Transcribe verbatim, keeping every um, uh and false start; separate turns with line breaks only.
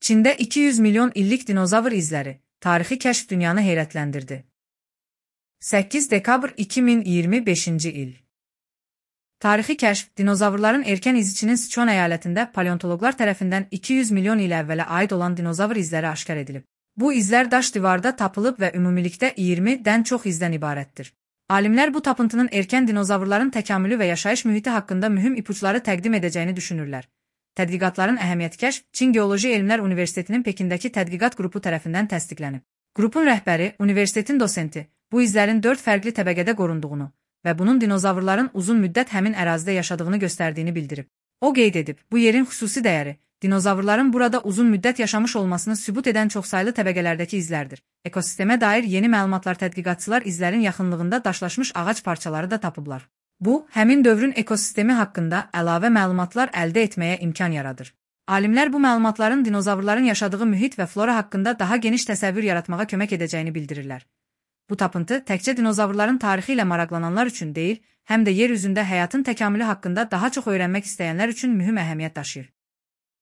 Çində iki yüz milyon illik dinozavr izləri, tarixi kəşf dünyanı heyrətləndirdi. səkkiz dekabr iki min iyirmi beşinci il. Tarixi kəşf, dinozavrların erkən iziçinin Sichuan əyalətində paleontoloqlar tərəfindən iki yüz milyon il əvvələ aid olan dinozavr izləri aşkar edilib. Bu izlər daş divarda tapılıb və ümumilikdə iyirmidən çox izdən ibarətdir. Alimlər bu tapıntının erkən dinozavrların təkamülü və yaşayış mühiti haqqında mühüm ipuçları təqdim edəcəyini düşünürlər. Tədqiqatların əhəmiyyəti kəşf Çin Geoloji Elmlər Universitetinin Pekindəki tədqiqat qrupu tərəfindən təsdiqlənib. Qrupun rəhbəri, universitetin dosenti, bu izlərin dörd fərqli təbəqədə qorunduğunu və bunun dinozavrların uzun müddət həmin ərazidə yaşadığını göstərdiyini bildirib. O qeyd edib, bu yerin xüsusi dəyəri, dinozavrların burada uzun müddət yaşamış olmasını sübut edən çoxsaylı təbəqələrdəki izlərdir. Ekosistemə dair yeni məlumatlar tədqiqatçılar izlərin yaxınlığında daşlaşmış ağac parçaları da tapıblar. Bu, həmin dövrün ekosistemi haqqında əlavə məlumatlar əldə etməyə imkan yaradır. Alimlər bu məlumatların dinozavrların yaşadığı mühit və flora haqqında daha geniş təsəvvür yaratmağa kömək edəcəyini bildirirlər. Bu tapıntı təkcə dinozavrların tarixi ilə maraqlananlar üçün deyil, həm də yer üzündə həyatın təkamülü haqqında daha çox öyrənmək istəyənlər üçün mühüm əhəmiyyət daşıyır.